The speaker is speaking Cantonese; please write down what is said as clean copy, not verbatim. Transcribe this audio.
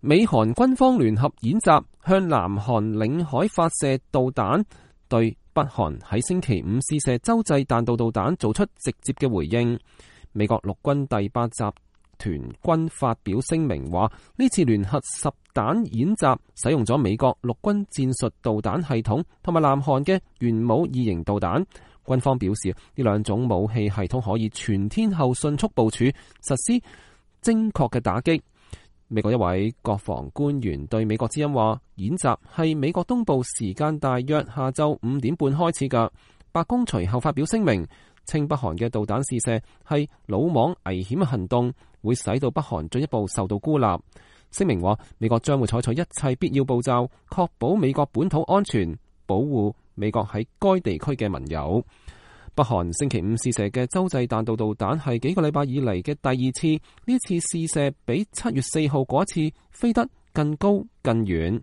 美韓軍方聯合演習，向南韓領海發射導彈，對北韓喺星期五試射洲際彈道導彈做出直接嘅回應。美國陸軍第8集團軍發表聲明話，呢次聯合實彈演習使用咗美國陸軍戰術導彈系統同埋南韓嘅元武2型導彈。軍方表示，呢兩種武器系統可以全天候迅速部署，實施精確嘅打擊。美國一位國防官員對美國之音話，演習係美國東部時間大約下晝5點半開始㗎。白宮隨後發表聲明，稱北韓嘅導彈試射係魯莽危險嘅行動，會使到北韓進一步受到孤立。聲明話，美國將會採取一切必要步驟，確保美國本土安全，保護美國喺該地區嘅盟友。北韓星期五試射嘅洲際彈道導彈係幾個禮拜以嚟嘅第2次，呢次試射比7月4號嗰一次飛得更高更遠。